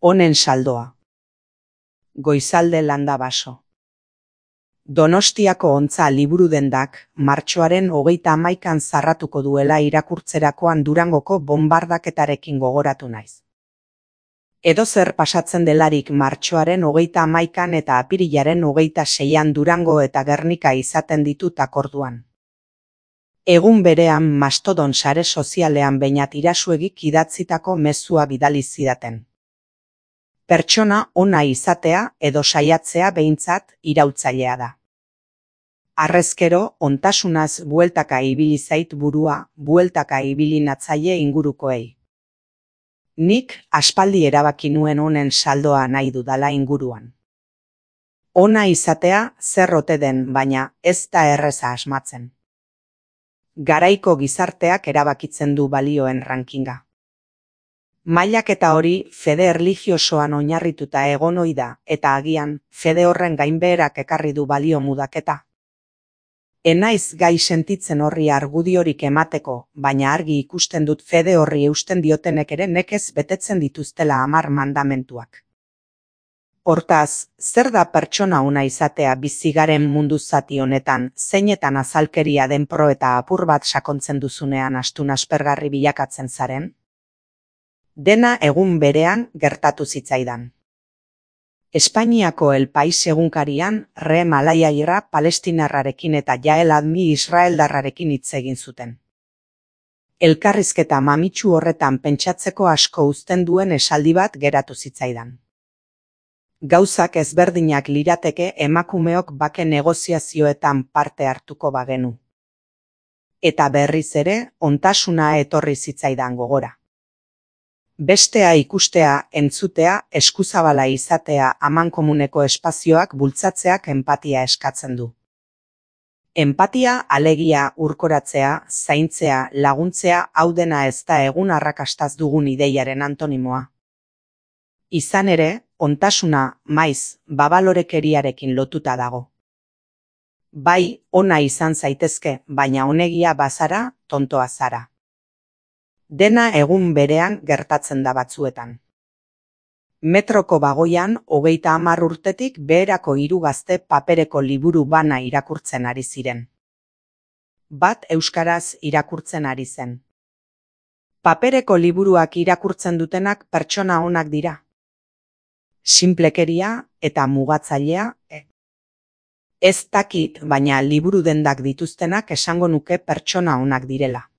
Honen saldoa. Goizalde landa baso. Donostiako Ontza liburudendak martxoaren 31an zarratuko duela irakurtzerakoan Durangoko bonbardaketarekin gogoratu naiz. Edozer pasatzen delarik martxoaren 31an eta apirilaren 26an Durango eta Gernika izaten ditut akorduan. Egun berean Mastodon sare sozialean Beñat Irasuegik idatzitako mezua bidali zidaten. Pertsona ona izatea edo saiatzea behintzat iraultzailea da. Harrezkero, ontasunaz bueltaka ibili zait burua, bueltaka ibili natzaile ingurukoei. Nik aspaldi erabaki nuen honen saldoa nahi dudala inguruan. Ona izatea zer ote den, baina ez da erreza asmatzen. Garaiko gizarteak erabakitzen du balioen rankinga. Mailaketa hori fede erlijiosoan oinarrituta egon ohi da, eta agian fede horren gainbeherak ekarri du balio mudaketa. Enaiz gai sentitzen horri argudiorik emateko, baina argi ikusten dut fede horri eusten diotenek ere nekez betetzen dituztela 10 mandamentuak. Hortaz, zer da pertsona ona izatea bizigaren mundu zati honetan, zeinetan azalkeria den pro eta apur bat sakontzen duzunean astun aspergarri bilakatzen zaren? Dena egun berean gertatu zitzaidan. Espainiako El País egunkarian Reem Alayairra palestinarrarekin eta Yael Admi israeldarrarekin hitz egin zuten. Elkarrizketa mamitsu horretan pentsatzeko asko uzten duen esaldi bat geratu zitzaidan. Gauzak ezberdinak lirateke emakumeok bake negoziazioetan parte hartuko bagenu. Eta berriz ere, ontasuna etorri zitzaidan gogora. Bestea ikustea, entzutea, eskuzabala izatea amankomuneko espazioak bultzatzeak enpatia eskatzen du. Enpatia alegia urkoratzea, zaintzea, laguntzea hau dena ez da egun arrakastaz dugun ideiaren antonimoa. Izan ere, ontasuna, maiz, babalorekeriarekin lotuta dago. Bai, ona izan zaitezke, baina onegia bazara, tontoa zara. Dena egun berean gertatzen da batzuetan. Metroko bagoian 30 urtetik beherako 3 gazte papereko liburu bana irakurtzen ari ziren. Bat euskaraz irakurtzen ari zen. Papereko liburuak irakurtzen dutenak pertsona onak dira. Sinplekeria eta mugatzailea, Ez dakit, baina liburu dendak dituztenak esango nuke pertsona onak direla.